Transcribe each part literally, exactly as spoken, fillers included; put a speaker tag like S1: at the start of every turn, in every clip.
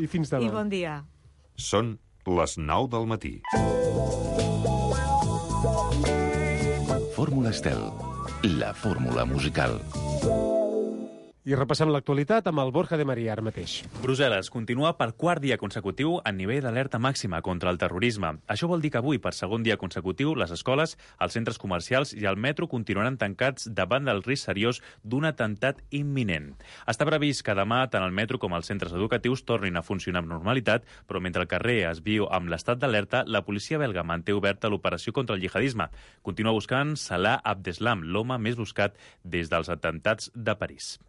S1: I fins demà.
S2: I bon dia.
S3: Són les nou del matí.
S4: Fórmula Estel, la fórmula musical.
S1: I repassem l'actualitat amb el Borja de Maria ara mateix.
S5: Brussel·les continua per quart dia consecutiu en nivell d'alerta màxima contra el terrorisme. Això vol dir que avui, per segon dia consecutiu, les escoles, els centres comercials i el metro continuaran tancats davant del risc seriós d'un atemptat imminent. Està previst que demà tant el metro com els centres educatius tornin a funcionar amb normalitat, però mentre el carrer es viu amb l'estat d'alerta, la policia belga manté oberta l'operació contra el jihadisme. Continua buscant Salah Abdeslam, l'home més buscat des dels atemptats de París.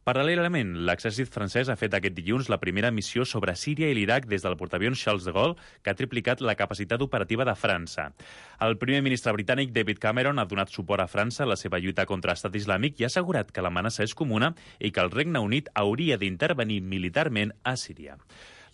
S5: Paral·lelament, l'exèrcit francès ha fet aquest dilluns la primera missió sobre Síria i l'Iraq des del portaavions Charles de Gaulle, que ha triplicat la capacitat operativa de França. El primer ministre britànic David Cameron ha donat suport a França en la seva lluita contra l'estat islàmic i ha assegurat que l'amenaça és comuna i que el Regne Unit hauria d'intervenir militarment a Síria.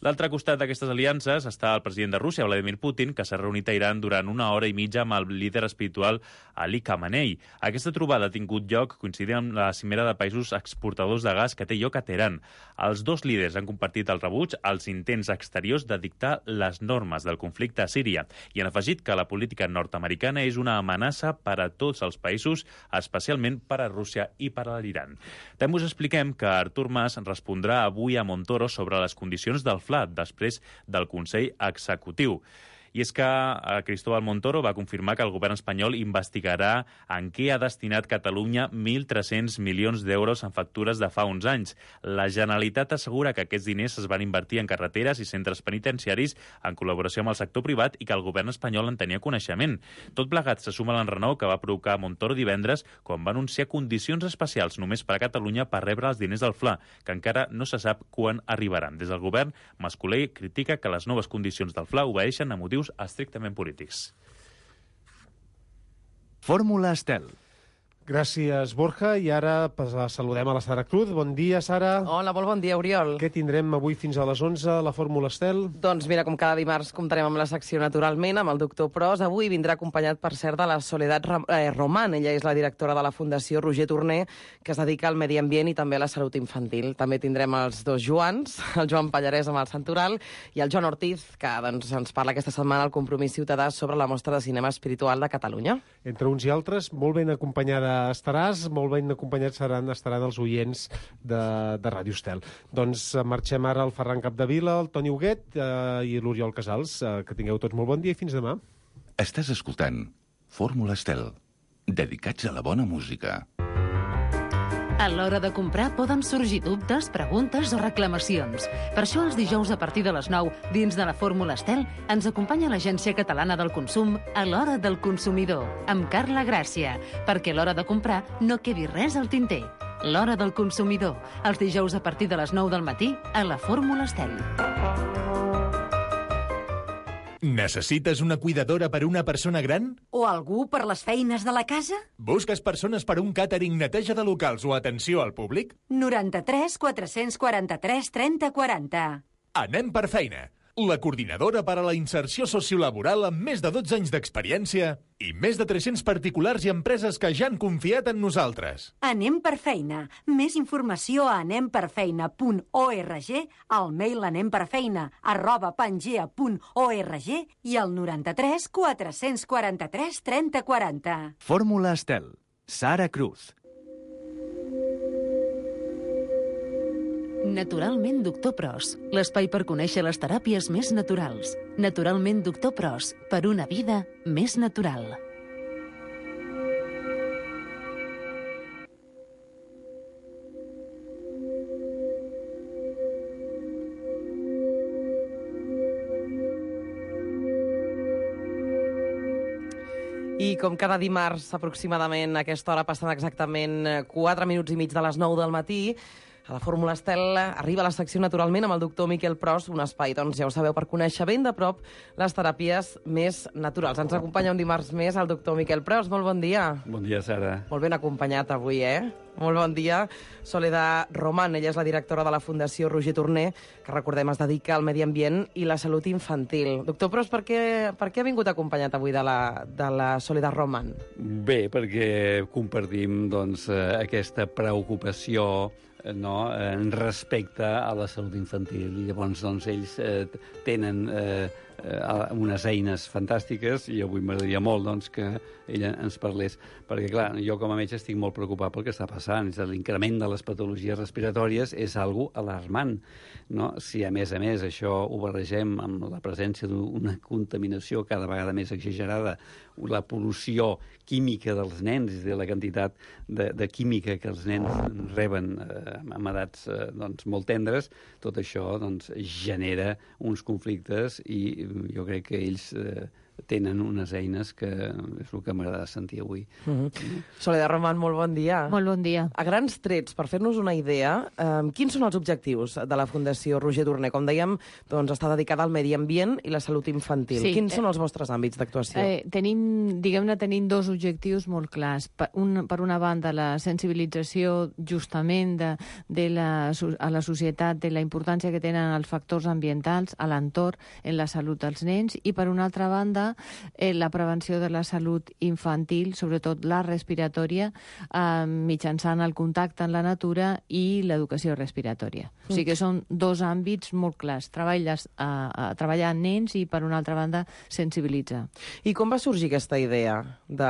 S5: L'altre costat d'aquestes aliances està el president de Rússia, Vladimir Putin, que s'ha reunit a Iran durant una hora i mitja amb el líder espiritual Ali Khamenei. Aquesta trobada ha tingut lloc coincidint amb la cimera de països exportadors de gas que té lloc a Teheran. Els dos líders han compartit el rebuig als intents exteriors de dictar les normes del conflicte a Síria i han afegit que la política nord-americana és una amenaça per a tots els països, especialment per a Rússia i per a l'Iran. També us expliquem que Artur Mas respondrà avui a Montoro sobre les condicions del després del Consell Executiu. I és que Cristóbal Montoro va confirmar que el govern espanyol investigarà en què ha destinat Catalunya mil tres-cents milions d'euros en factures de fa uns anys. La Generalitat assegura que aquests diners es van invertir en carreteres i centres penitenciaris en col·laboració amb el sector privat i que el govern espanyol en tenia coneixement. Tot plegat se suma l'enrenou que va provocar Montoro divendres quan va anunciar condicions especials només per a Catalunya per rebre els diners del Fla, que encara no se sap quan arribaran. Des del govern, Mas-Colell critica que les noves condicions del Fla obeeixen a motius estrictament polítics.
S6: Fórmula Estel.
S1: Gràcies, Borja. I ara saludem a la Sara Cruz. Bon dia, Sara.
S7: Hola, molt bon dia, Oriol.
S1: Què tindrem avui fins a les onze a la Fórmula Estel?
S7: Doncs mira, com cada dimarts comptarem amb la secció naturalment, amb el doctor Pros. Avui vindrà acompanyat, per cert, de la Soledad Román. Ella és la directora de la Fundació Roger Torner, que es dedica al medi ambient i també a la salut infantil. També tindrem els dos Joans, el Joan Pallarès amb el Santoral i el Joan Ortiz, que doncs, ens parla aquesta setmana al Compromís Ciutadà sobre la mostra de cinema espiritual de Catalunya.
S1: Entre uns i altres, molt ben acompanyada estaràs, molt ben acompanyats seran, estaran els oients de, de Ràdio Estel. Doncs marxem ara al Ferran Capdevila, el Toni Huguet eh, i l'Oriol Casals. Eh, que tingueu tots molt bon dia i fins demà.
S4: Estàs escoltant Fórmula Estel, dedicats a la bona música.
S8: A l'hora de comprar poden sorgir dubtes, preguntes o reclamacions. Per això els dijous a partir de les nou, dins de la Fórmula Estel, ens acompanya l'Agència Catalana del Consum a l'Hora del Consumidor, amb Carla Gràcia, perquè a l'hora de comprar no quedi res al tinter. L'Hora del Consumidor, els dijous a partir de les nou del matí a la Fórmula Estel.
S9: Necessites una cuidadora per una persona gran?
S2: O algú per les feines de la casa?
S9: Busques persones per un càtering, neteja de locals o atenció al públic?
S2: noranta-tres quatre-cents quaranta-tres trenta quaranta.
S9: Anem per feina. La coordinadora per a la inserció sociolaboral amb més de dotze anys d'experiència i més de tres-cents particulars i empreses que ja han confiat en nosaltres.
S2: Anem per feina. Més informació a anem per feina punt org, al mail anemperfeina arroba pangea punt org i al noranta-tres quatre-cents quaranta-tres trenta quaranta.
S6: Fórmula Estel. Sara Cruz.
S8: Naturalment Doctor Pros, l'espai per conèixer les teràpies més naturals. Naturalment Doctor Pros, per una vida més natural.
S7: I com cada dimarts, aproximadament a aquesta hora, passant exactament quatre minuts i mig de les nou del matí, a la Fórmula Estel arriba la secció naturalment amb el doctor Miquel Pros, un espai, doncs ja ho sabeu, per conèixer ben de prop les teràpies més naturals. Ens acompanya un dimarts més el doctor Miquel Pros. Molt bon dia.
S10: Bon dia, Sara.
S7: Molt ben acompanyat avui, eh? Molt bon dia. Soledad Román, ella és la directora de la Fundació Roger Torner, que recordem es dedica al medi ambient i la salut infantil. Doctor Pros, per què, per què ha vingut acompanyat avui de la, de la Soledad Román?
S10: Bé, perquè compartim doncs, aquesta preocupació no, en respecte a la salut infantil. I llavors doncs, ells eh, tenen eh, unes eines fantàstiques i avui m'agradaria molt doncs, que ella ens parlés, perquè clar, jo com a metge estic molt preocupat pel que està passant. L'increment de les patologies respiratòries és algo alarmant, no? Si a més a més això ho barregem amb la presència d'una contaminació cada vegada més exagerada, la pol·lució química dels nens, de la quantitat de, de química que els nens reben eh, amb edats eh, doncs, molt tendres, tot això doncs, genera uns conflictes i jo crec que ells eh, tenen unes eines que és el que m'agrada sentir avui.
S7: Mm-hmm. Soledad Román, molt bon dia.
S11: Molt bon dia.
S7: A grans trets, per fer-nos una idea, eh, quins són els objectius de la Fundació Roger Torner? Com dèiem, doncs, està dedicada al medi ambient i la salut infantil.
S11: Sí,
S7: quins
S11: eh,
S7: són els vostres àmbits d'actuació?
S11: Eh, tenim, diguem-ne, tenim dos objectius molt clars. Per, un, per una banda, la sensibilització justament de, de la, a la societat de la importància que tenen els factors ambientals a l'entorn en la salut dels nens, i per una altra banda, Eh, la prevenció de la salut infantil, sobretot la respiratòria, eh, mitjançant el contacte amb la natura i l'educació respiratòria. Mm. O sigui que són dos àmbits molt clars. Treballes a, a treballar amb nens i, per una altra banda, sensibilitzar.
S7: I com va sorgir aquesta idea? De...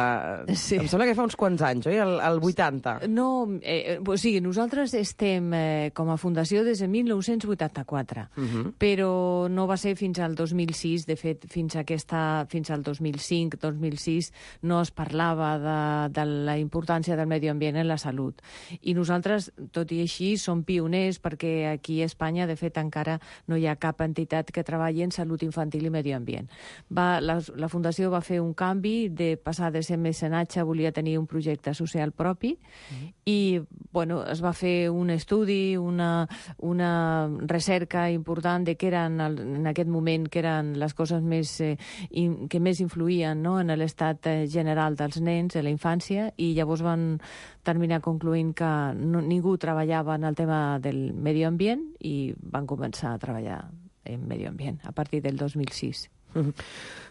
S7: Sí. Em sembla que fa uns quants anys, oi? El, el vuitanta.
S11: No, eh, o sigui, nosaltres estem eh, com a fundació des de mil nou-cents vuitanta-quatre, uh-huh. però no va ser fins al dos mil sis, de fet, fins a aquesta fins al dos mil cinc, dos mil sis, no es parlava de, de la importància del medi ambient en la salut. I nosaltres, tot i així, som pioners perquè aquí a Espanya, de fet, encara no hi ha cap entitat que treballi en salut infantil i medi ambient. Va, la, la Fundació va fer un canvi de passar de ser mecenatge, volia tenir un projecte social propi, mm. i bueno, es va fer un estudi, una, una recerca important de què eren, en aquest moment, que eren les coses més eh, que més influïen, no?, en l'estat general dels nens, de la infància, i llavors van terminar concloent que no, ningú treballava en el tema del medi ambient i van començar a treballar en medi ambient a partir del dos mil sis.
S7: Mm-hmm.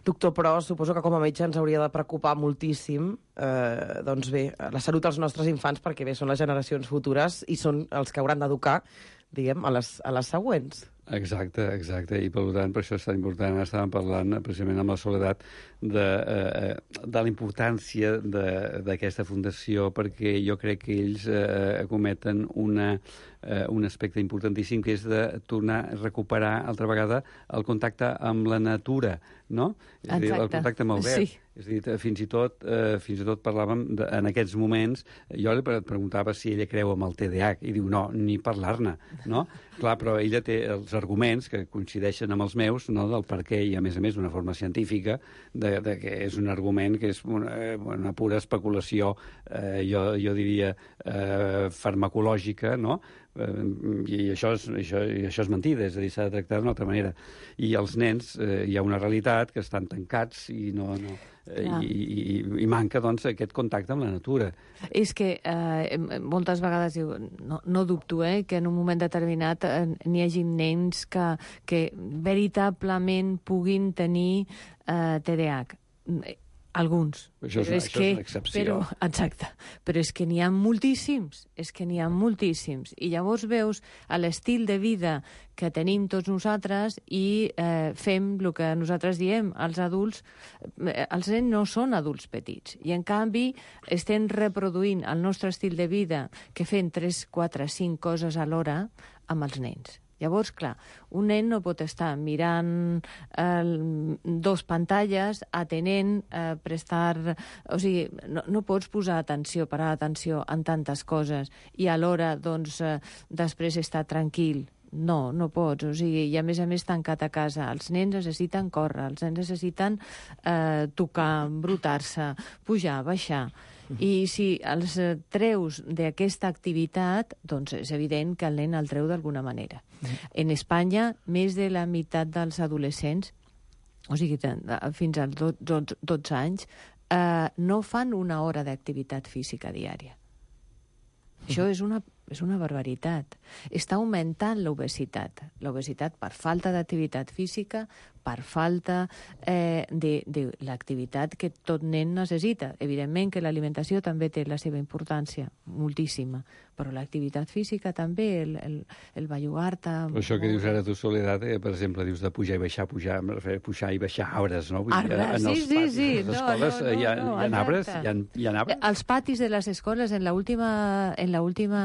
S7: Doctor Pros, suposo que com a metge ens hauria de preocupar moltíssim eh, doncs bé, la salut dels nostres infants, perquè bé, són les generacions futures i són els que hauran d'educar, diguem, a les, a les següents.
S10: Exacte, exacte, i per tant, per això és tan important. Estàvem parlant precisament amb la Soledat de, eh, de la importància d'aquesta fundació, perquè jo crec que ells eh, acometen una, eh, un aspecte importantíssim, que és de tornar a recuperar altra vegada el contacte amb la natura, no? És a dir, el contacte amb el verd. Sí. És a dir, fins i tot, eh, fins i tot parlàvem de, en aquests moments, jo li preguntava si ella creu amb el T D A H, i diu no, ni parlar-ne, no? Clar, però ella té els arguments que coincideixen amb els meus, no?, del per què, i a més a més d'una forma científica, de, de que és un argument que és una, una pura especulació, eh, jo, jo diria, eh, farmacològica, no?, i això és, això, i això és mentida, és a dir, s'ha de tractar d'una altra manera. I els nens, eh, hi ha una realitat que estan tancats i no... no eh, i, i, i manca, doncs, aquest contacte amb la natura.
S11: És que eh, moltes vegades, no, no dubto, eh, que en un moment determinat eh, n'hi hagi nens que, que veritablement puguin tenir eh, T D A H. Alguns.
S10: Això és, una, és, això que, és una excepció.
S11: Però, exacte. Però és que n'hi ha moltíssims. És que n'hi ha moltíssims. I llavors veus l'estil de vida que tenim tots nosaltres i eh, fem el que nosaltres diem. Els adults, eh, els nens no són adults petits. I, en canvi, estem reproduint el nostre estil de vida que fem tres, quatre, cinc coses alhora amb els nens. Llavors, clar, un nen no pot estar mirant eh, dos pantalles, atenent, eh, prestar... O sigui, no, no pots posar atenció, parar atenció en tantes coses i alhora, doncs, eh, després estar tranquil. No, no pots. O sigui, i a més a més tancat a casa. Els nens necessiten córrer, els nens necessiten eh, tocar, embrutar-se, pujar, baixar. I si els treus d'aquesta activitat, doncs és evident que el nen el treu d'alguna manera. En Espanya, més de la meitat dels adolescents, o sigui, fins als dotze anys, eh, no fan una hora d'activitat física diària. Això és una, és una barbaritat. Està augmentant l'obesitat. L'obesitat per falta d'activitat física, per falta eh, de, de l'activitat que tot nen necessita. Evidentment que l'alimentació també té la seva importància, moltíssima, però l'activitat física també, el, el, el bellugar-te...
S10: Però això que dius ara tu, Soledat, eh, per exemple, dius de pujar i baixar, pujar, pujar i baixar arbres, no? Vull dir,
S11: arbres,
S10: en
S11: sí,
S10: els
S11: sí,
S10: patis
S11: sí.
S10: de les escoles
S11: no, no,
S10: hi ha,
S11: no,
S10: hi ha arbres? Hi ha, hi ha arbres?
S11: Els patis de les escoles, en l'última en l'última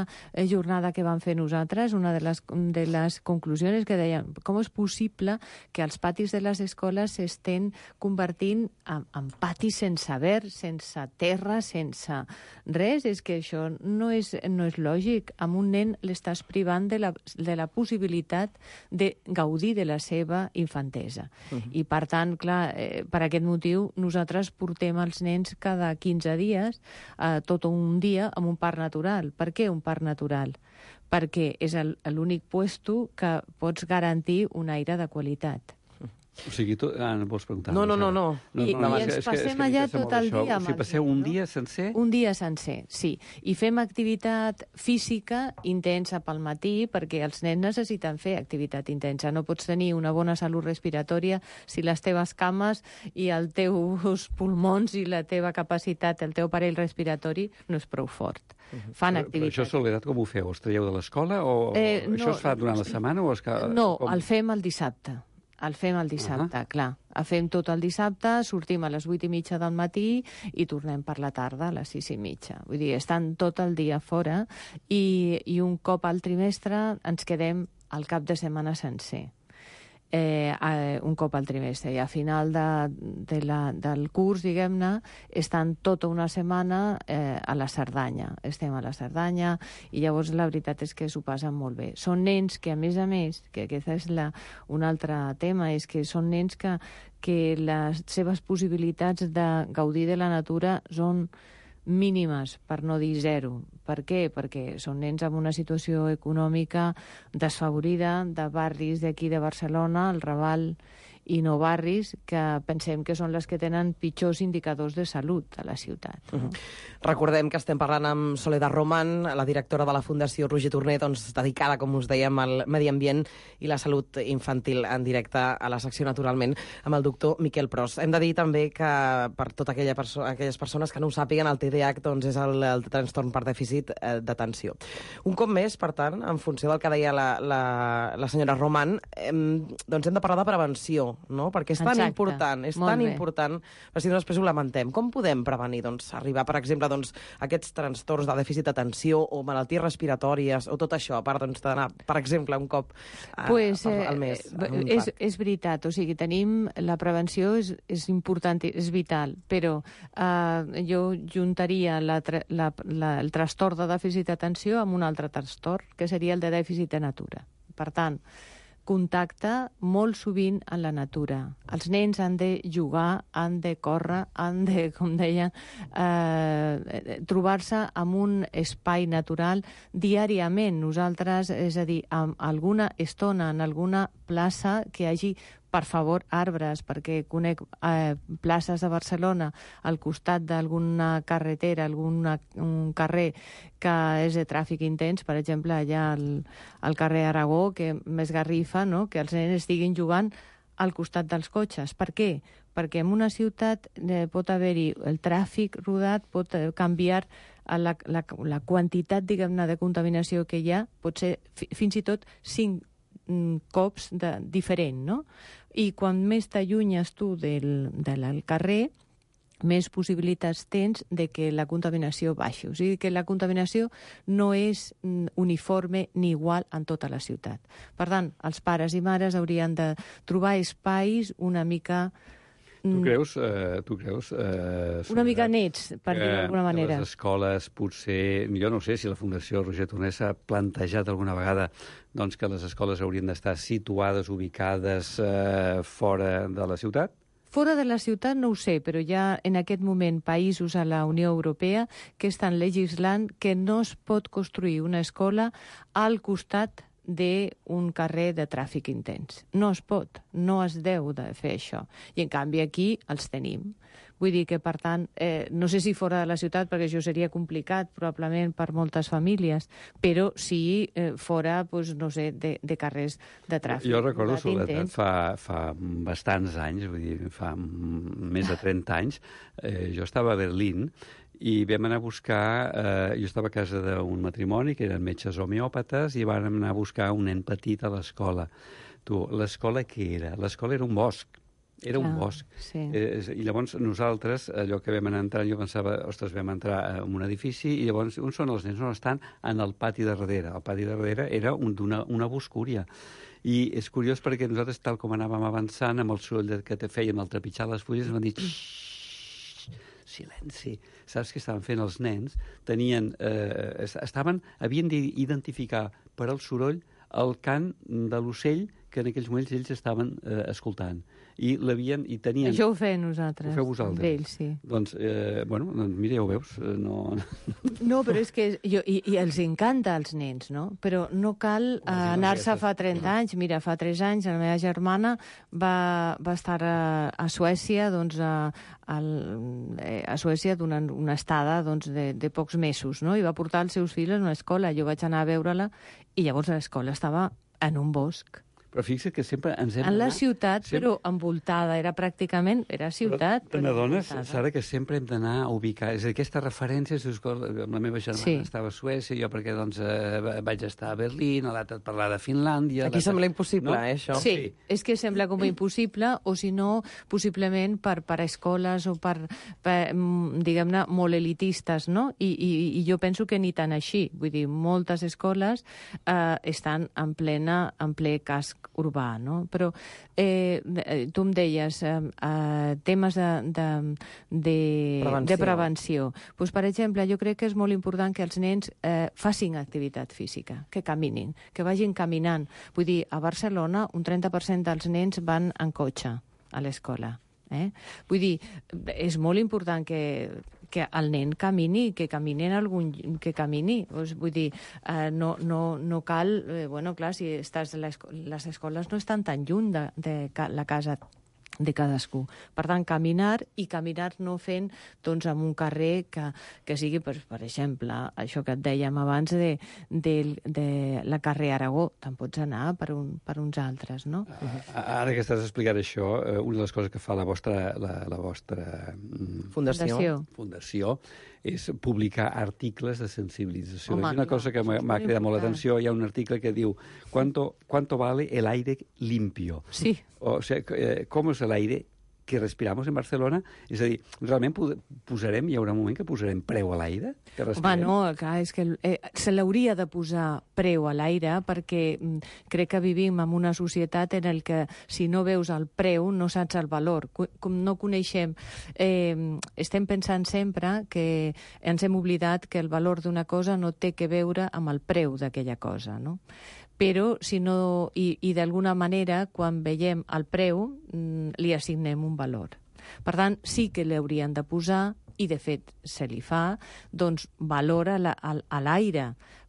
S11: jornada que vam fer nosaltres, una de les, de les conclusions que deien com és possible que els patis de les escoles s'estén convertint en, en patis sense verd, sense terra, sense res. És que això no és, no és lògic. A un nen l'estàs privant de la, de la possibilitat de gaudir de la seva infantesa. Uh-huh. I, per tant, clar, eh, per aquest motiu, nosaltres portem els nens cada quinze dies, eh, tot un dia, en un parc natural. Per què un parc natural? Perquè és l'únic puesto que pots garantir un aire de qualitat.
S10: O sigui, tu... Ah, no vols preguntar?
S11: No, no, no, no.
S10: no,
S11: I,
S10: no, no
S11: i ens passem allà tot el dia.
S10: O sigui, passeu un dia sencer?
S11: Un dia sencer, sí. I fem activitat física intensa pel matí, perquè els nens necessiten fer activitat intensa. No pots tenir una bona salut respiratòria si les teves cames i els teus pulmons i la teva capacitat, el teu aparell respiratori, no és prou fort. Uh-huh. Fan activitat.
S10: Però això, Soledat, com ho feu? Els traieu de l'escola? O
S11: eh, no,
S10: això es fa durant la setmana? O es ca...
S11: No,
S10: com...
S11: el fem el dissabte. El fem el dissabte, uh-huh. clar. El fem tot el dissabte, sortim a les vuit i mitja del matí i tornem per la tarda a les sis i mitja. Vull dir, estan tot el dia fora i, i un cop al trimestre ens quedem al cap de setmana sencer. Eh, eh, un cop al trimestre. I a final de, de la, del curs, diguem-ne, estan tota una setmana eh, a la Cerdanya. Estem a la Cerdanya i llavors la veritat és que s'ho passen molt bé. Són nens que, a més a més, que aquest és la, un altre tema, és que són nens que, que les seves possibilitats de gaudir de la natura són mínimes, per no dir zero. Per què? Perquè són nens amb una situació econòmica desfavorida, de barris d'aquí de Barcelona, el Raval i no barris, que pensem que són les que tenen pitjors indicadors de salut a la ciutat. No?
S7: Uh-huh. Recordem que estem parlant amb Soledat Román, la directora de la Fundació Roger Torner, doncs, dedicada, com us dèiem, al medi ambient i la salut infantil, en directe a la secció, naturalment, amb el doctor Miquel Pros. Hem de dir també que, per totes aquella perso aquelles persones que no ho sàpiguen, el T D A H doncs, és el, el trastorn per dèficit eh, d'atenció. Un cop més, per tant, en funció del que deia la, la, la senyora Román, eh, doncs hem de parlar de prevenció, no? Perquè és tan
S11: Exacte.
S7: important, és
S11: Molt
S7: tan
S11: bé.
S7: important, però si no després ho lamentem. Com podem prevenir, doncs, arribar, per exemple, doncs, a aquests trastorns de dèficit d'atenció o malalties respiratòries o tot això, a part doncs, d'anar, per exemple, un cop a,
S11: pues,
S7: a, al mes?
S11: Eh, és, és veritat, o sigui, tenim la prevenció és, és important, és vital, però eh, jo juntaria la, la, la, el trastorn de dèficit d'atenció amb un altre trastorn, que seria el de dèficit de natura. Per tant, contacte molt sovint en la natura. Els nens han de jugar, han de córrer, han de, com deia, eh, trobar-se en un espai natural diàriament. Nosaltres, és a dir, amb alguna estona, en alguna plaça que hi hagi, per favor, arbres, perquè conec eh, places de Barcelona al costat d'alguna carretera, algun un carrer que és de tràfic intens, per exemple, allà al, al carrer Aragó, que m'esgarrifa, no?, que els nens estiguin jugant al costat dels cotxes. Per què? Perquè en una ciutat eh, pot haver-hi el tràfic rodat, pot eh, canviar la, la, la quantitat, diguem-ne, de contaminació que hi ha, pot ser fi, fins i tot cinc cops de, diferent, no? I quan més t'allunyes tu del, del carrer, més possibilitats tens de que la contaminació baixi. O sigui que la contaminació no és uniforme ni igual en tota la ciutat. Per tant, els pares i mares haurien de trobar espais una mica...
S10: Tu creus, eh, tu creus eh,
S11: una mica nets, per dir d'alguna manera.
S10: Les escoles, potser, jo no sé si la Fundació Roger Torner s'ha plantejat alguna vegada doncs, que les escoles haurien d'estar situades, ubicades eh, fora de la ciutat?
S11: Fora de la ciutat no ho sé, però hi ha en aquest moment països a la Unió Europea que estan legislant que no es pot construir una escola al costat d'un carrer de tràfic intens. No es pot, no es deu de fer això. I en canvi aquí els tenim. Vull dir que, per tant, eh, no sé si fora de la ciutat, perquè això seria complicat, probablement, per moltes famílies, però sí eh, fora, doncs, no sé, de, de carrers de tràfic.
S10: Jo recordo, Soledat, fa, fa bastants anys, vull dir, fa més de trenta anys, eh, jo estava a Berlín i vam anar a buscar, eh, jo estava a casa d'un matrimoni que eren metges homeòpates i vam anar a buscar un nen petit a l'escola. Tu, l'escola què era? L'escola era un bosc. Era un
S11: ah,
S10: bosc.
S11: Sí.
S10: Eh, I llavors nosaltres, allò que vam anar entrant, jo pensava, ostres, vam entrar en un edifici i llavors on són els nens? On estan? En el pati de darrere. El pati de darrere era un, una, una boscúria. I és curiós perquè nosaltres, tal com anàvem avançant, amb el soroll que te fèiem al trepitjar les fulles, ens van dir silenci. Saps què estaven fent els nens? Tenien, eh, estaven, havien d'identificar per al soroll el cant de l'ocell que en aquells moments ells estaven eh, escoltant. I l'havien, i tenien...
S11: Això ho fem nosaltres.
S10: Ho feu vosaltres?
S11: Amb ells, sí.
S10: Doncs, eh, bueno, doncs mira, ja ho veus. Eh, no...
S11: no, però és que... Jo, i, I els encanta als nens, no? Però no cal eh, anar-se fa trenta anys. Mira, fa tres anys la meva germana va, va estar a, a Suècia, doncs, a, a, a Suècia donant una estada doncs, de, de pocs mesos, no? I va portar els seus fills a una escola. Jo vaig anar a veure-la i llavors l'escola estava en un bosc.
S10: Però fixa't que sempre ens hem
S11: en la
S10: d'anar...
S11: ciutat, sempre... però envoltada, era pràcticament, era ciutat.
S10: Però n'adones, Sara, que sempre hem d'anar a ubicar... És a dir, aquesta referència, si us recorda, la meva germana sí. estava a Suècia, jo perquè doncs, eh, vaig estar a Berlín, l'altre et parlar de Finlàndia...
S7: Aquí sembla impossible, no? eh, això?
S11: Sí, sí, és que sembla com impossible, o si no, possiblement per, per escoles o per, per diguem-ne, molt elitistes, no? I, i, I jo penso que ni tan així. Vull dir, moltes escoles eh, estan en plena, en ple casc urbà, no? Però eh, tu em deies eh, eh, temes de, de, de prevenció. De prevenció. Pues, per exemple, jo crec que és molt important que els nens eh, facin activitat física, que caminin, que vagin caminant. Vull dir, a Barcelona un trenta per cent dels nens van en cotxe a l'escola. Eh? Vull dir, és molt important que, que el nen camini, que camini en algun... que camini. Pues, vull dir, eh, no, no, no cal... Eh, bueno, clar, si estàs a l'esco... les escoles no estan tan lluny de, de la casa de cadascú. Per tant, caminar i caminar no fent doncs, en un carrer que, que sigui, per, per exemple, això que et dèiem abans de, de, de la carrer Aragó. Te'n pots anar per, un, per uns altres, no?
S10: Ara que estàs explicant això, una de les coses que fa la vostra, la, la vostra
S7: fundació.
S10: fundació és publicar articles de sensibilització. Home, és una cosa que m'ha cridat molt l'atenció. Hi ha un article que diu ¿Cuánto, cuánto vale el aire limpio?
S11: Sí.
S10: O sea, com és l'aire que respiramos en Barcelona? És a dir, realment posarem, hi haurà un moment que posarem preu a l'aire que respirem?
S11: Home, no, clar, és que eh, se l'hauria de posar preu a l'aire perquè mm, crec que vivim en una societat en el que si no veus el preu no saps el valor. Com no coneixem, eh, estem pensant sempre que ens hem oblidat que el valor d'una cosa no té que veure amb el preu d'aquella cosa, no? Però, si no, i, i d'alguna manera, quan veiem el preu, li assignem un valor. Per tant, sí que l'haurien de posar, i de fet se li fa, doncs valor a l'aire,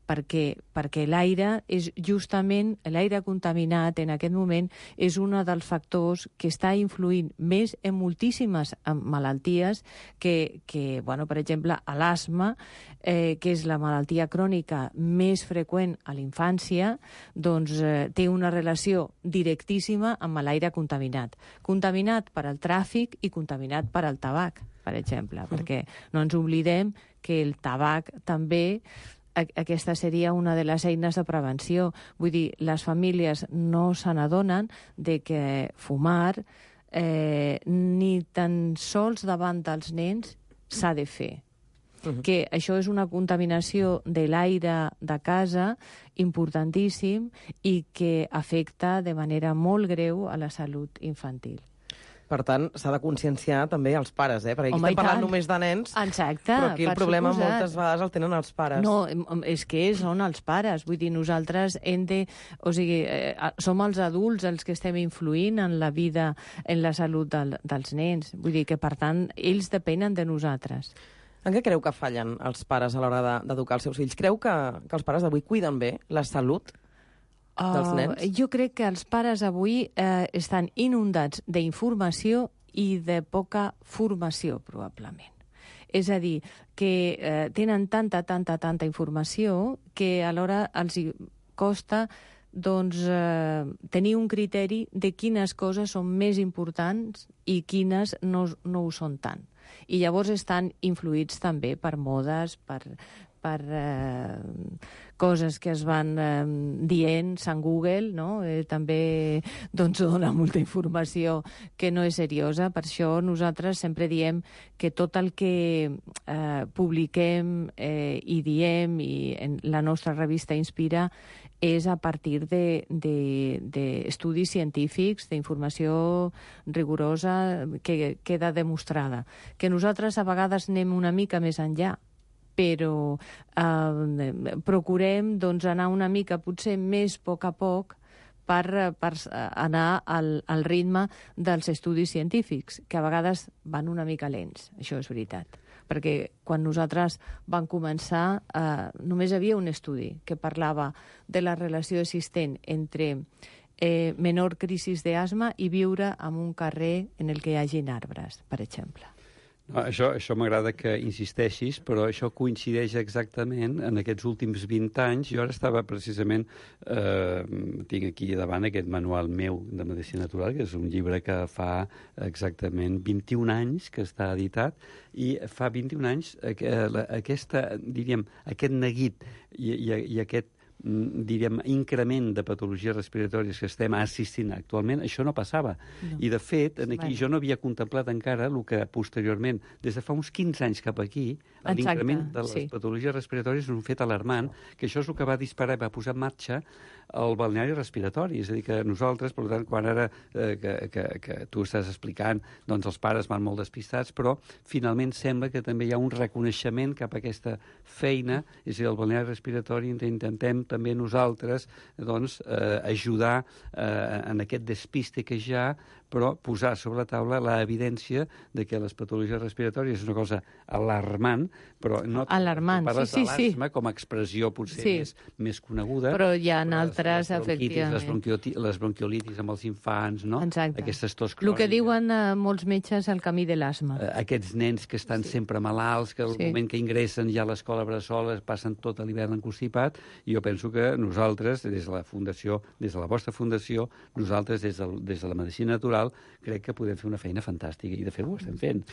S11: perquè, perquè l'aire és justament, l'aire contaminat en aquest moment és un dels factors que està influint més en moltíssimes malalties que, que bueno, per exemple, l'asma, eh, que és la malaltia crònica més freqüent a la infància, doncs eh, té una relació directíssima amb l'aire contaminat. Contaminat per al tràfic i contaminat per al tabac, per exemple, mm. perquè no ens oblidem que el tabac també... Aquesta seria una de les eines de prevenció. Vull dir, les famílies no se n'adonen de que fumar eh, ni tan sols davant dels nens s'ha de fer. Uh-huh. Que això és una contaminació de l'aire de casa importantíssim i que afecta de manera molt greu a la salut infantil.
S7: Per tant, s'ha de conscienciar també els pares, eh? Perquè aquí
S11: Home,
S7: estem parlant només de nens,
S11: exacte,
S7: però aquí el problema
S11: suposat.
S7: moltes vegades el tenen els pares.
S11: No, és que són els pares. Vull dir, nosaltres hem de... O sigui, eh, som els adults els que estem influint en la vida, en la salut del, dels nens. Vull dir que, per tant, ells depenen de nosaltres.
S7: En què creu que fallen els pares a l'hora d'educar els seus fills? Creu que, que els pares d'avui cuiden bé la salut? dels nens?
S11: Uh, jo crec que els pares avui uh, estan inundats d'informació i de poca formació, probablement. És a dir, que eh, tenen tanta, tanta, tanta informació que alhora els hi costa doncs, eh, tenir un criteri de quines coses són més importants i quines no, no ho són tant. I llavors estan influïts també per modes, per, per eh, coses que es van eh, dient, Sant Google, no? eh, també doncs, dona molta informació que no és seriosa. Per això nosaltres sempre diem que tot el que eh, publiquem eh, i diem, i en la nostra revista Inspira, és a partir d'estudis científics, d'informació rigorosa que queda demostrada. Que nosaltres a vegades anem una mica més enllà, però eh, procurem doncs, anar una mica, potser més a poc a poc, per, per anar al, al ritme dels estudis científics, que a vegades van una mica lents, això és veritat. Perquè quan nosaltres vam començar eh, només hi havia un estudi que parlava de la relació existent entre eh, menor crisi d'asma i viure en un carrer en el que hi hagin arbres, per exemple.
S10: No, això això m'agrada que insisteixis, però això coincideix exactament en aquests últims vint anys. Jo ara estava precisament, eh, tinc aquí davant aquest manual meu de Medicina Natural, que és un llibre que fa exactament vint-i-un anys que està editat, i fa vint-i-un anys eh, aquesta, diríem, aquest neguit i, i, i aquest diríem, increment de patologies respiratòries que estem assistint actualment, això no passava. No. I, de fet, en aquí jo no havia contemplat encara el que posteriorment, des de fa uns quinze anys cap aquí, l'increment de les sí. patologies respiratòries és un fet alarmant, que això és el que va disparar i va posar en marxa el balneari respiratori. És a dir, que nosaltres, per tant, quan ara eh, que, que, que tu estàs explicant, doncs els pares van molt despistats, però finalment sembla que també hi ha un reconeixement cap a aquesta feina, és a dir, el balneari respiratori intentem també nosaltres doncs, eh, ajudar eh, en aquest despiste que hi ha, però posar sobre la taula l'evidència de que les patologies respiratòries és una cosa alarmant, però no
S11: alarmant,
S10: parles
S11: sí,
S10: de
S11: sí,
S10: l'asma sí. com a expressió potser
S11: sí.
S10: més, més coneguda.
S11: Però hi ha altres,
S10: les
S11: efectivament.
S10: Les, bronquioti, les bronquiolitis amb els infants, no?
S11: Exacte.
S10: Aquestes tos
S11: cròniques. El que diuen uh, molts metges el camí de l'asma.
S10: Uh, aquests nens que estan sí. sempre malalts, que al sí. moment que ingressen ja a l'escola bressol passen tot l'hivern enconstipat, i jo penso que nosaltres, des de la Fundació, des de la vostra Fundació, nosaltres des de, des de la Medicina Natural, crec que podem fer una feina fantàstica, i de fet ho estem fent.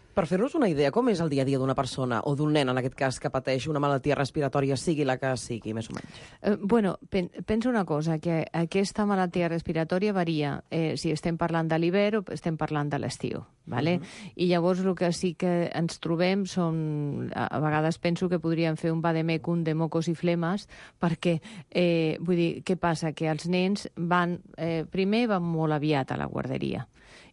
S7: Per fer-nos una idea, com és el dia a dia d'una persona, o d'un nen, en aquest cas, que pateix una malaltia respiratòria, sigui la que sigui, més o menys?
S11: Eh, bueno, pen, penso una cosa, que aquesta malaltia respiratòria varia eh, si estem parlant de l'hivern o estem parlant de l'estiu, ¿vale? Uh-huh. I llavors el que sí que ens trobem són... A, a vegades penso que podríem fer un vademecum de mocos i flemes, perquè, eh, vull dir, què passa? Que els nens van... Eh, primer van molt aviat a la guarderia,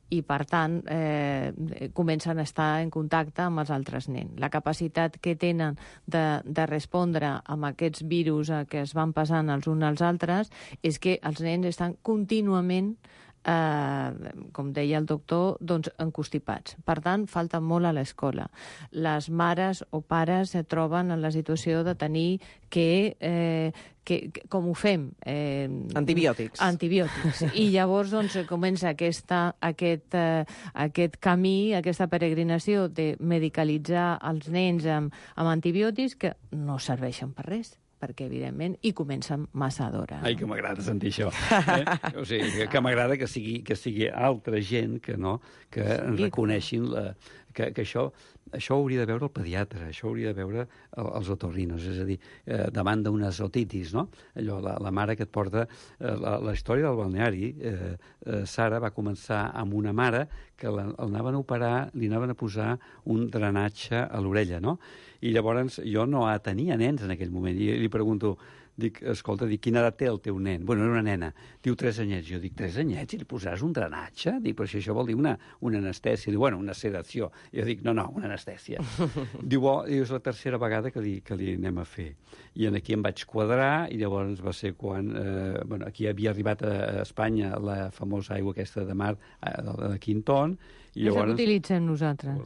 S11: i, per tant, eh, comencen a estar en contacte amb els altres nens. La capacitat que tenen de, de respondre amb aquests virus que es van passant els uns als altres és que els nens estan contínuament eh, com deia el doctor, doncs encostipats. Per tant, falta molt a l'escola. Les mares o pares es troben en la situació de tenir que... Eh, Que, que, com ho fem? Eh,
S7: antibiòtics.
S11: Antibiòtics. I llavors doncs, comença aquesta, aquest, eh, aquest camí, aquesta peregrinació de medicalitzar els nens amb, amb antibiòtics que no serveixen per res, perquè, evidentment, hi comencen massa d'hora.
S10: Ai, que m'agrada sentir això. Eh? O sigui, que, que m'agrada que sigui, que sigui altra gent que, no, que sí. reconeixin la, que, que això... Això ho hauria de veure el pediatre, això ho hauria de veure el, els otorrinos, és a dir, eh, davant d'unes otitis, no? Allò, la, la mare que et porta... Eh, la, la història del balneari, eh, eh, Sara va començar amb una mare que l'anaven a operar, li anaven a posar un drenatge a l'orella, no? I llavors jo no tenia nens en aquell moment, i li pregunto... Dic, escolta, dic, quina edat té el teu nen? Bueno, era una nena. Diu, tres anyets. Jo dic, tres anyets? I li posaràs un drenatge? Dic, però si això vol dir una, una anestèsia. Diu, bueno, una sedació. Jo dic, no, no, una anestèsia. Diu, oh, és la tercera vegada que li, que li anem a fer. I en aquí em vaig quadrar, i llavors va ser quan... Eh, bueno, aquí havia arribat a Espanya la famosa aigua aquesta de mar eh, de, de Quinton, i llavors,
S11: és el que utilitzem nosaltres.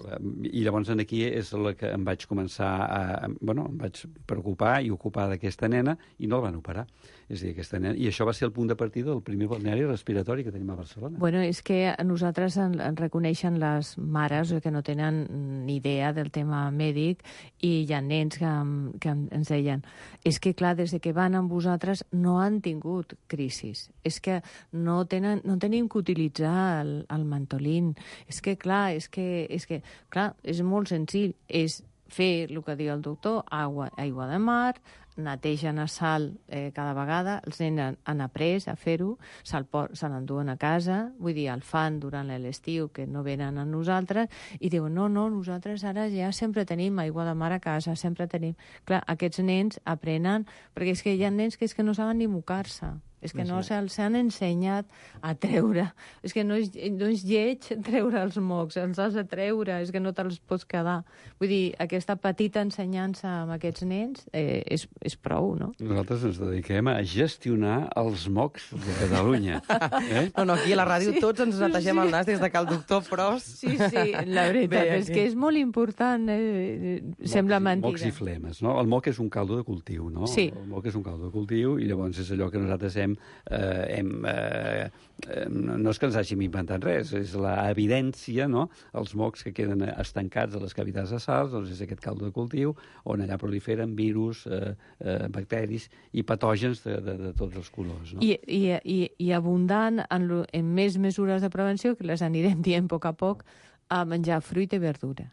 S10: I llavors aquí és la que em vaig començar a... Bueno, em vaig preocupar i ocupar d'aquesta nena, i no el van operar. És a dir, aquesta nena... I això va ser el punt de partida del primer balneari respiratori que tenim a Barcelona.
S11: Bueno, és que a nosaltres en, en reconeixen les mares que no tenen ni idea del tema mèdic i hi ha nens que, que ens deien és que, clar, des que van amb vosaltres no han tingut crisis. És que no, tenen, no tenim que utilitzar el, el mantolín. És que, clar, és que, és que, clar, és molt senzill. És fer el que diu el doctor, aigua, aigua de mar, netegen a sal eh, cada vegada, els nens han, han après a fer-ho, se'l se l'enduen a casa, vull dir, el fan durant l'estiu, que no venen a nosaltres, i diuen, no, no, nosaltres ara ja sempre tenim aigua de mar a casa, sempre tenim... Clar, aquests nens aprenen, perquè és que hi ha nens que és que no saben ni mocar-se. És que no se'ls han ensenyat a treure. És que no és, no és lleig treure els mocs, els has de treure, és que no te'ls pots quedar. Vull dir, aquesta petita ensenyança amb aquests nens eh, és, és prou, no?
S10: Nosaltres ens dediquem a gestionar els mocs de Catalunya. Eh?
S7: No, no, aquí a la ràdio sí. tots ens netegem sí. el nas des de que el doctor Pros...
S11: Sí, sí, la veritat Bé, és que és molt important. Eh? Sembla mentida.
S10: Mocs i flemes, no? El moc és un caldo de cultiu, no?
S11: Sí.
S10: El moc és un caldo de cultiu i llavors és allò que nosaltres hem Eh, hem, eh, eh, no és que ens hàgim inventat res, és l'evidència, no? Els mocs que queden estancats a les cavitats nasals, doncs és aquest caldo de cultiu on allà proliferen virus, eh, eh, bacteris i patògens de, de, de tots els colors. No?
S11: I, i, i, i abundant en, lo, en més mesures de prevenció, que les anirem dient a poc a poc, a menjar fruita i verdura.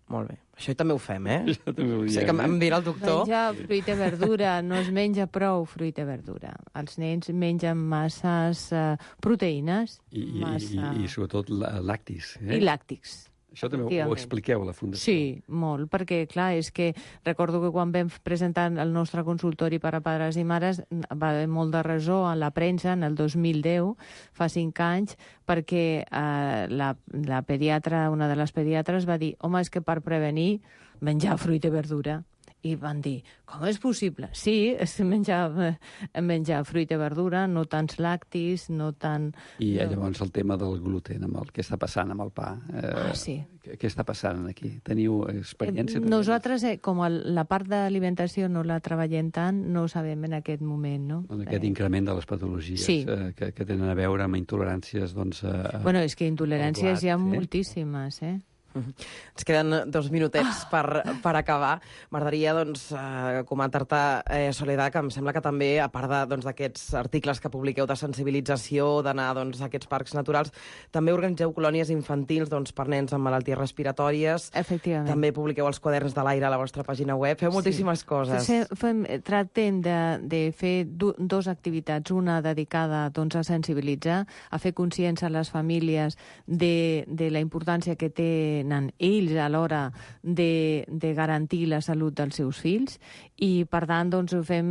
S7: Molt bé. Això també ho fem, eh?
S10: Això també ho diem,
S7: sé que em dirà el doctor.
S11: Menjar fruita i verdura, no es menja prou fruita i verdura. Els nens mengen masses uh, proteïnes.
S10: I,
S11: massa...
S10: i, i, i sobretot làctics. Eh?
S11: I làctics.
S10: Això també ho expliqueu a la Fundació.
S11: Sí, molt, perquè, clar, és que recordo que quan vam presentar el nostre consultori per a pares i mares va haver molt de resó a la premsa en el dos mil deu, fa cinc anys, perquè eh, la, la pediatra, una de les pediatres va dir home, és que per prevenir menjar fruita i verdura. I van dir, com és possible? Sí, és menjar, menjar fruita i verdura, no tants làctics, no tant...
S10: I no. Llavors el tema del gluten, amb el que està passant amb el pa. Eh,
S11: ah, sí.
S10: Què, què està passant aquí? Teniu experiència?
S11: Eh, nosaltres, eh, com el, la part d'alimentació no la treballem tant, no ho sabem en aquest moment, no?
S10: En aquest eh... increment de les patologies
S11: sí.
S10: eh, que, que tenen a veure amb intoleràncies, doncs... Eh,
S11: bueno, és que intoleràncies blat, hi ha eh? moltíssimes, eh?
S7: Ens queden dos minutets per, per acabar. M'agradaria doncs, eh, comentar-te, eh, Soledad, que em sembla que també, a part d'aquests doncs, articles que publiqueu de sensibilització, d'anar doncs, a aquests parcs naturals, també organitzeu colònies infantils doncs, per nens amb malalties respiratòries.
S11: Efectivament.
S7: També publiqueu els quaderns de l'aire a la vostra pàgina web. Feu moltíssimes
S11: sí.
S7: coses.
S11: Sí, fem, tractem de, de fer du, dos activitats, una dedicada doncs, a sensibilitzar, a fer consciència a les famílies de, de la importància que té ells a l'hora de, de garantir la salut dels seus fills i, per tant, doncs, ho fem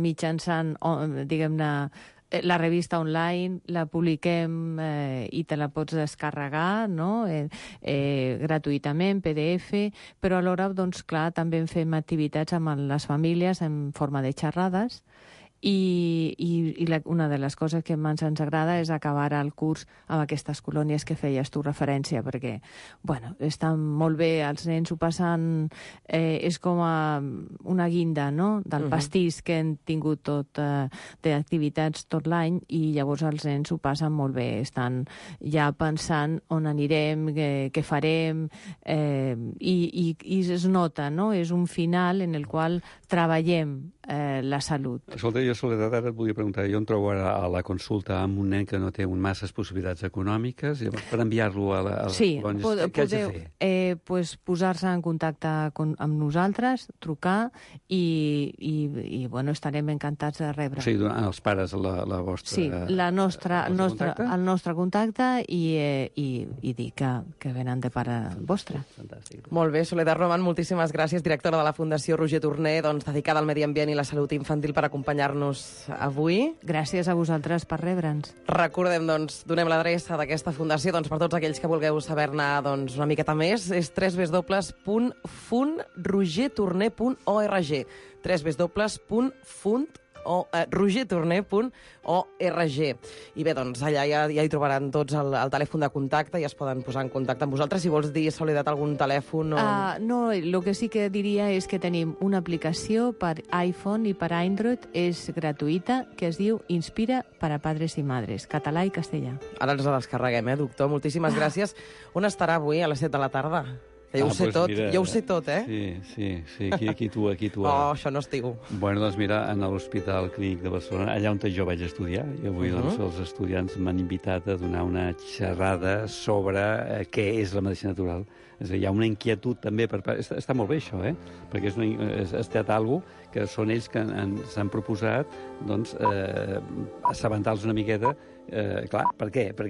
S11: mitjançant, diguem-ne, la revista online, la publiquem eh, i te la pots descarregar, no? eh, eh, gratuïtament, P D F, però alhora, doncs, clar, també fem activitats amb les famílies en forma de xerrades. I, i, i la, una de les coses que més ens agrada és acabar el curs amb aquestes colònies que feies tu referència, perquè, bueno, estan molt bé, els nens ho passen, eh, és com a una guinda, no?, del uh-huh. pastís que hem tingut tot eh, d'activitats tot l'any, i llavors els nens ho passen molt bé, estan ja pensant on anirem, què, què farem, eh, i, i, i es nota, no?, és un final en el qual treballem eh, la salut.
S10: Escolta, jo, Soledad, ara et volia preguntar, jo em trobo ara a la consulta amb un nen que no té un masses possibilitats econòmiques, llavors, per enviar-lo a, la, a les
S11: sí,
S10: colònies,
S11: pod
S10: què haig de
S11: podeu,
S10: fer?
S11: Eh, pues, posar-se en contacte con, amb nosaltres, trucar, i, i, i bueno, estarem encantats de rebre.
S10: O sigui, donar als pares la, la vostra...
S11: Sí, la nostra, el, nostre,
S10: contacte?
S11: el nostre contacte i, eh, i, i dir que, que venen de pare vostre.
S10: Fantàstic.
S7: Molt bé, Soledad Roman, moltíssimes gràcies, directora de la Fundació Roger Torner, doncs, dedicada al medi ambient i la salut infantil, per acompanyar-nos avui.
S11: Gràcies a vosaltres per rebre'ns.
S7: Recordem, doncs, donem l'adreça d'aquesta fundació, doncs, per tots aquells que vulgueu saber-ne doncs, una miqueta més, és w w w punt fund roger torner punt org w w w punt fund eh, roger torner punt org. I bé, doncs allà ja, ja hi trobaran tots el, el telèfon de contacte i es poden posar en contacte amb vosaltres. Si vols dir, Soledat, algun telèfon o...
S11: Uh, no, el que sí que diria és que tenim una aplicació per iPhone i per Android, és gratuïta, que es diu Inspira para padres i madres, català i castellà.
S7: Ara ens la descarreguem, eh, doctor? Moltíssimes gràcies. On estarà avui a les set de la tarda? Que jo
S10: Ah,
S7: ho sé
S10: pues
S7: tot,
S10: mira,
S7: jo ho sé tot, eh?
S10: Sí, sí, sí, aquí, aquí tu, aquí tu.
S7: Oh, això no estiu.
S10: Bueno, doncs mira, en l'Hospital Clínic de Barcelona, allà on jo vaig estudiar, i avui
S7: Uh-huh.
S10: doncs, els estudiants m'han invitat a donar una xerrada sobre eh, què és la medicina natural. És a dir, hi ha una inquietud també, per, part- està, està molt bé això, eh? Perquè és, una, és, ha estat alguna que són ells que s'han proposat doncs, eh, assabentar-los una miqueta. Eh, clar, per què? Perquè